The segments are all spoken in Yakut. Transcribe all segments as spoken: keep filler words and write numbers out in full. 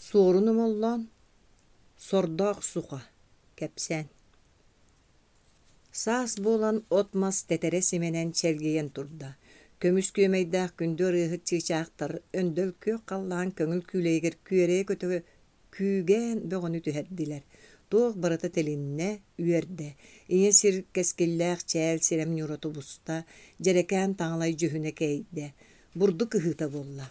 Суорун Омоллоон Сордоох суха кэпсээн Саас буолан от-мас тэтэрэ симэнэн чэлгийэн турда. Көмүс күөмэйдээх күндү ырыаһыт чыычаахтар өндөл күөх халлаан көҥүл күүлэйигэр күөрэйэ көтө күүгээн бөҕөнү түһэрдилэр. Туох барыта тилиннэ, үөрдэ. Ийэ сир кэскиллээх чээл сирэм ньуура тубуста, дьэрэкээн таҥалай дьүһүнэ кэйдэ. Бурдук ыһыыта буолла.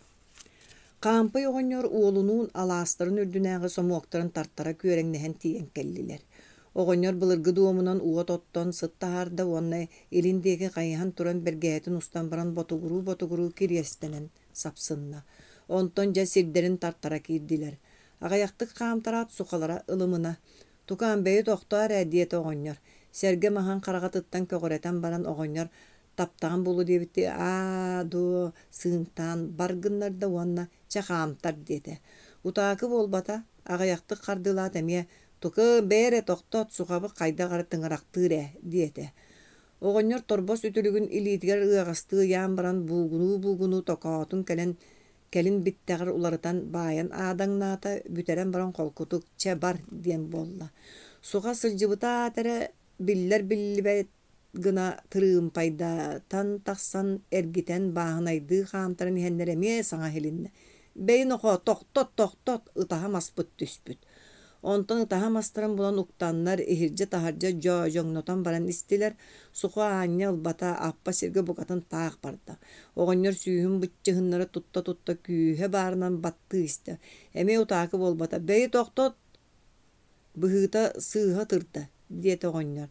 Хаампый оҕонньор уолунуун алаастарын үрдүнээҕи сомуоктарын тартара күөрэҥнэһэн тиийэн кэллилэр. Оҕонньор былыргы дуомунан уот оттон сыт таһаарда уонна илин диэки хайыһан туран бэргэһэтин устан баран ботугуруу-ботугуруу кириэстэнэн сапсынна. Онтон дьэ сирдэрин тартара киирдилэр. Аҕыйахтык хаамтараат сухалара ылымына. «Тукаам, бэйи тохтоо эрэ» диэтэ оҕонньор. Сэргэ маһын хараҕатыттан көҕүрэтэн баран оҕонньор таптаҕын буолуо диэбиттии аа дуо сыыҥтаан бар гыннарда уонна чэ хаамтар диэтэ. Утаакы буолбата, аҕыйахтык хардыылаат эмиэ «Тукы, бэйэ эрэ тохтот, сухабыт хайдах эрэ тыҥырахтыыр ээ» диэтэ. Оҕонньор торбос үтүлүгүн илиитигэр ыаҕастыы ыйаан баран буугунуу-буугунуу токоотун кэлэн кэлин биттэҕэр уларытан баайан аадаҥнаата, бүтэрэн баран холкутук «чэ бар» диэн буолла. Суха сылдьыбыта аата эрэ биллэр-биллибэт гына тырыымпайдатан тахсан эргитэн бааһынайдыы хаамтаран иһэннэр эмиэ саҥа иһилиннэ: «Бэйи нохоо, тохтот, тохтот, ытаһа маспыт түспүт» Онтон ытаһа мастарын булан уктаннар, иһирдьэ-таһырдьа дьоодьоҥнотон баран истилэр. Сухо аанньа ылбата, аппа сиргэ букатын таах барда. Оҕонньор сүүһүн быччыһыннары тутта-тутта күүһэ баарынан баттыы истэ. Эмиэ утаакы буолбата. «Бэйи тохтот, быһыыта сыыһа ытырда» диэтэ оҕонньор.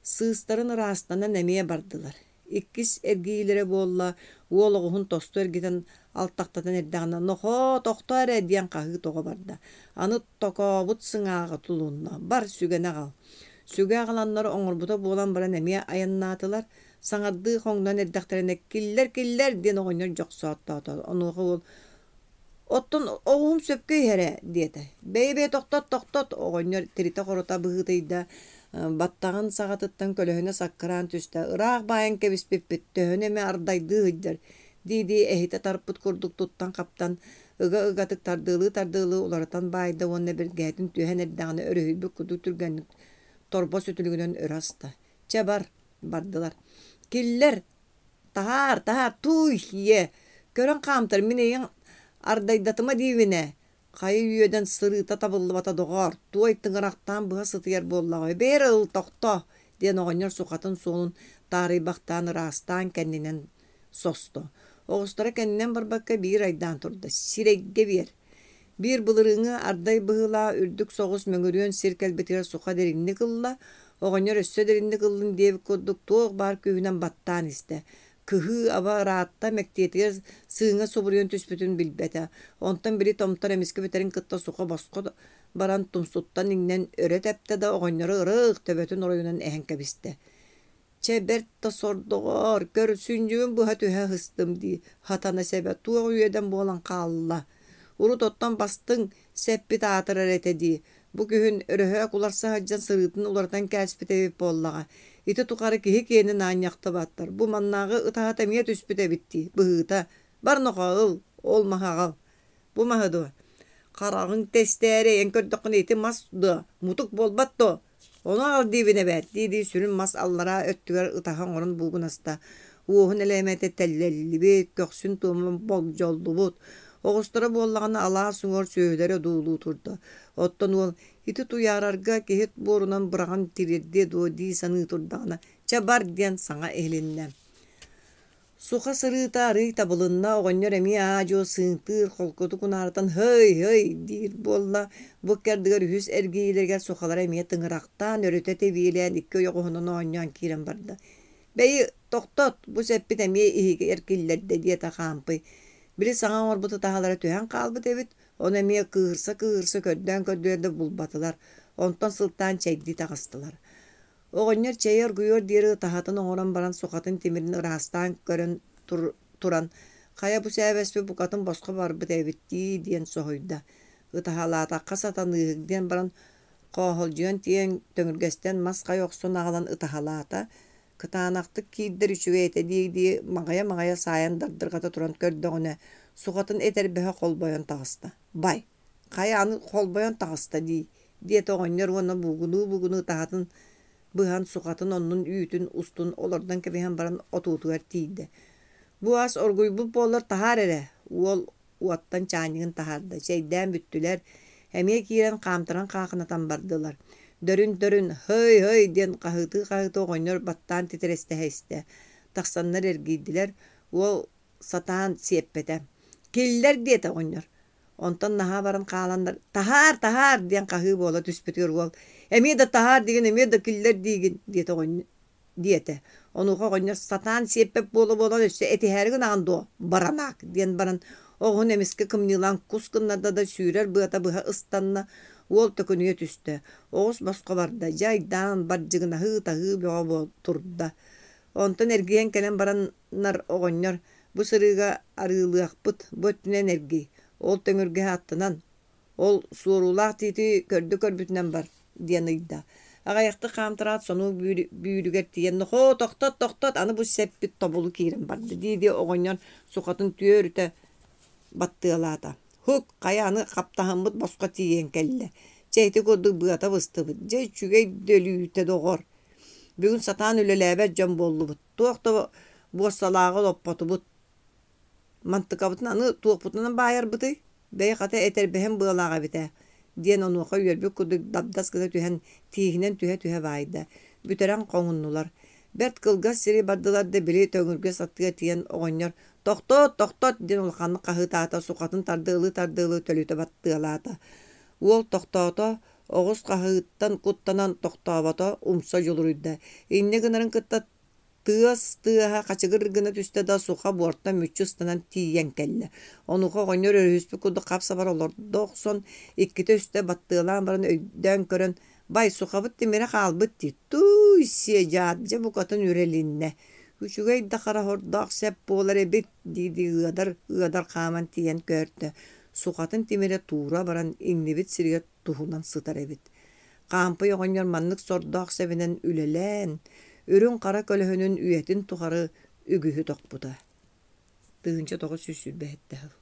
Сыыстарын ыраастанан эмиэ бардылар. Иккис эргийиилэрэ буолла, уол оҕуһун тосту эргитэн алтахтатан эрдэҕинэ «Нохоо, тохтоо эрэ» диэн хаһыы тоҕо барда. Аны токообут сыҥааҕа тулунна, «Бар, сүгэни аҕал». Сүгэ аҕаланнар оҥорбута буолан баран эмиэ айаннаатылар. Саҥардыы хоҥнон эрдэхтэринэ «Киллэр, киллэр» диэн оҕонньор дьохсооттоото. Онуоха уол «Оттон оҕуһум сөпкө иһэр ээ» диэтэ. «Бэйи-бэйи тохтот, тохтот» оҕонньор тиритэ-хорута быһыытыйда, баттаҕын саҕатыттан көлөһүнэ саккыраан түстэ, «Ыраах баайан кэбиспиппит, төһөнү эмэ ардайдыы сылдьар» дии-дии эһитэ тарпыт курдук туттан-хаптан, ыга-ыгатык тардыалыы-тардыалыы уларытан баайда уонна бэргэһэтин түһэн эрдэҕинэ өрүһүйбүт курдук түргэнник торбос үтүлүгүнэн өрө аста. «Чэ бар» бардылар. «Киллэр, таһаар, таһаар, тууй, ийэ, көрөн хаамтар, мин эйиҥ ардайдатыма диибин ээ, хайа үөдэн сырыыта табыллыбата доҕоор, туой тыҥырахтаан быһа сытыйар буоллаҕа, бээр ыл, тохтоо» диэн оҕонньор сухатын суолун таарыйбахтаан ыраастаан кэннинэн состо. Оҕустара кэннинэн барбакка биир айдаан турда, сирэйгэ биэр. Биир былырыыҥҥы ардай быһыылаах үрдүк соҕус мөҥүрүөн сир кэлбитигэр суха дириҥник ылла, оҕонньор өссө дириҥник ыллын диэбит курдук туох баар күүһүнэн баттаан истэ. Кыһыы-аба ыраатта, мэктиэтигэр сыыҥа субуруйан түспүтүн билбэтэ. Онтон били томтор эмискэ бүтэрин кытта суха босхо баран тумсуттан иҥнэн өрө тэптэ да оҕонньору ырыых төбөтүн оройунан эһэн кэбистэ. Чэ бэрт да сордоҕоор, көр, сүнньүбүн быһа түһэ сыстым дии, хатана сэбэ туох үөдэн буолан хаалла. Урут оттон бастыҥ сэппит аатырар этэ дии. Бу күһүн өрөһөөк уларса сылдьан сырыытын уларытан кээспит эбит буоллаҕа. Ити тухары киһи киэнин аанньахтыбаттар. Бу маннааҕы ытаһата эмиэ түспүт эбит дии, быһыыта. Бар нохоо ыл, ол маһы аҕал. Бу маһы дуо? Хараҕыҥ тэстээри эн көрдөххүнэ ити мас дуо, мутук буолбат дуо? Ону аҕал диибин эбээт дии-дии сүрүн мас аллараа өттүгэр ытаһа оҥорон буугунаста. Уоһун элээмэтэ тэллэллибит, көхсүн туома болдьоллубут. Оҕустара буоллаҕына алаас уҥуор сүөһүлэрэ одуулуу турда. Оттон уол ити туйаарарга киһи буорунан быраҕан тириэрдиэ дуо дии саныы турдаҕына, чэ бар диэн саҥа иһилиннэ. Суха сырыыта арыый табылынна, оҕонньор эмиэ аа-дьуо сыыҥтыыр, холкутук унаарытан «һый, һый» диир буолла. Бу ыккардыгар үһүс эргийиилэригэр сухалара эмиэ тыҥырахтаан, өрүтэ тэбиэлээн икки ойоҕоһунан оонньоон киирэн барда. «Бэйи, тохтот, бу сэппит эмиэ иһигэр киллэрдэ» диэтэ Хаампый. Били саҥа оҥорбут ытаһалара түһэн хаалбыт эбит, ону эмиэ кыыһырса-кыыһырса көрдөөн-көрдүлэр да булбатылар. Онтон сылтаан чэйдии таҕыстылар. Оҕонньор чэйи оргуйуор диэри ытаһатын оҥорон баран сухатын тимирин ыраастаан көрөн туран «Хайа бу сээбэспит букатын босхо барбыт эбит дии» диэн соһуйда. Ытаһалаатахха сатаныыһык диэн баран хооһолдьуйан тиийэн төҥүргэстэн мас хайа охсон аҕалан ытаһалаата. Кытаанахтык киирдэр үчүгэй этэ дии-дии маҕайа-маҕайа саайан дардырҕата туран көрдөҕүнэ, сухатын этэрбэһэ холбойон таҕыста. «Бай, Хайа аны холбойон таҕыста дии, диэтэ оҕонньор уонна буугунуу-буугунуу таһатын быһан сухатын оннун үүтүн устун олордон кэбиһэн баран отуутугар тиийдэ. Бу ас оргуйбут буоллар таһаар эрэ, уол уоттан чаанньыгын таһаарда, чэйдээн бүттүлэр, эмиэ киирэн хаамтаран хаахынатан бардылар. Дөрүн-дөрүн «һый-һый» диэн хаһыытыы-хаһыытыы оҕонньор баттаан титирэстэһэ истэ. Тахсаннар эргийдилэр, уол сатаан сиэппэтэ. «Киллэр» диэтэ оҕонньор. Онтон наһаа баран хааланнар «таһаар, таһаар» диэн хаһыы буола түспүтүгэр уол «эмиэ да таһаар диигин, эмиэ да киллэр диигин» диэтэ оҕонньор диэтэ. Онуоха оҕонньор сатаан сиэппэт буола-буола өссө этиһээри гынаҕын дуо, баранаак диэн баран оҕуһун эмискэ кымньыылаан кус гыннарда да сүүрэр быата быһа ыстанна, уол төкүнүйэ түстэ. Оҕус босхо барда, дьэ айдаан, бардьыгынаһыы, таһыы бөҕө буол турда. Онтон эргийэн кэлэн бараннар оҕонньор бу сырыыга арыылыахпыт, бу өттүнэн эргий, ол төҥүргэһи аттынан, ол суоруулаах тиити көрдө-көрбүтүнэн бар диэн ыйда. Аҕыйахтык хаамтараат сонуок бүүрүгэр тиийэн «Нохоо, тохтот, тохтот, аны бу сэппит тобулу киирэн барда» дии-дии оҕонньор сухатын түөрүтэ баттыалаата. Һук, хайа аны хаптаһыммыт босхо тиийэн кэллэ. Чэ ити курдук быата быстыбыт, дьэ үчүгэй да өлүүтэ доҕор. Бүгүн сатаан үлэлээбэт дьон буоллубут, туох да буоссалааҕы олоппотубут. Мантыкабытын аны туохпутунан баайарбытый? Бэйи хата этэрбэһим быалаах эбит ээ диэн онуоха үөрбүт курдук дабдас гына түһэн тииһинэн түһэ-түһэ баайда. Бүтэрэн хоҥуннулар. Бэрт кылгас сири бардылар да били төҥүргэ саттыга тиийэн оҕонньор «Тохтот, тохтот!» диэн улаханнык хаһыытаата, сухатын тардыалыы-тардыалыы төлүтэ баттыалаата. Уол тохтоото, оҕус хаһыыттан куттанан тохтообото, умса дьулуруйда. Инньэ гынарын кытта тыас тыаһа хачыгыр гына түстэ да суха буортан мүччү ыстанан тиийэн кэллэ. Онуоха оҕонньор өрүһүспүт курдук хап-сабар олордо охсон, иккитэ-үстэ баттыалаан баран өйдөөн көрөн, «Бай, сухабыт тимирэ хаалбыт дии, тууй-сиэ дьаат, дьэ букатын үрэлиннэ, үчүгэй да хара сордоох сэп буолар эбит» дии-дии ыадар ыадар хааман тиийэн көөртө, сухатын тимирэ туура баран иҥнибит сиригэр туһунан сытар эбит. Хаампый оҕонньор маннык сордоох сэбинэн үлэлээн, үрүҥ-хара көлөһүнүн үйэтин тухары үгүһү тохпута. Тыһыынча тоҕус сүүс сүүрбэ сэттэ сыл.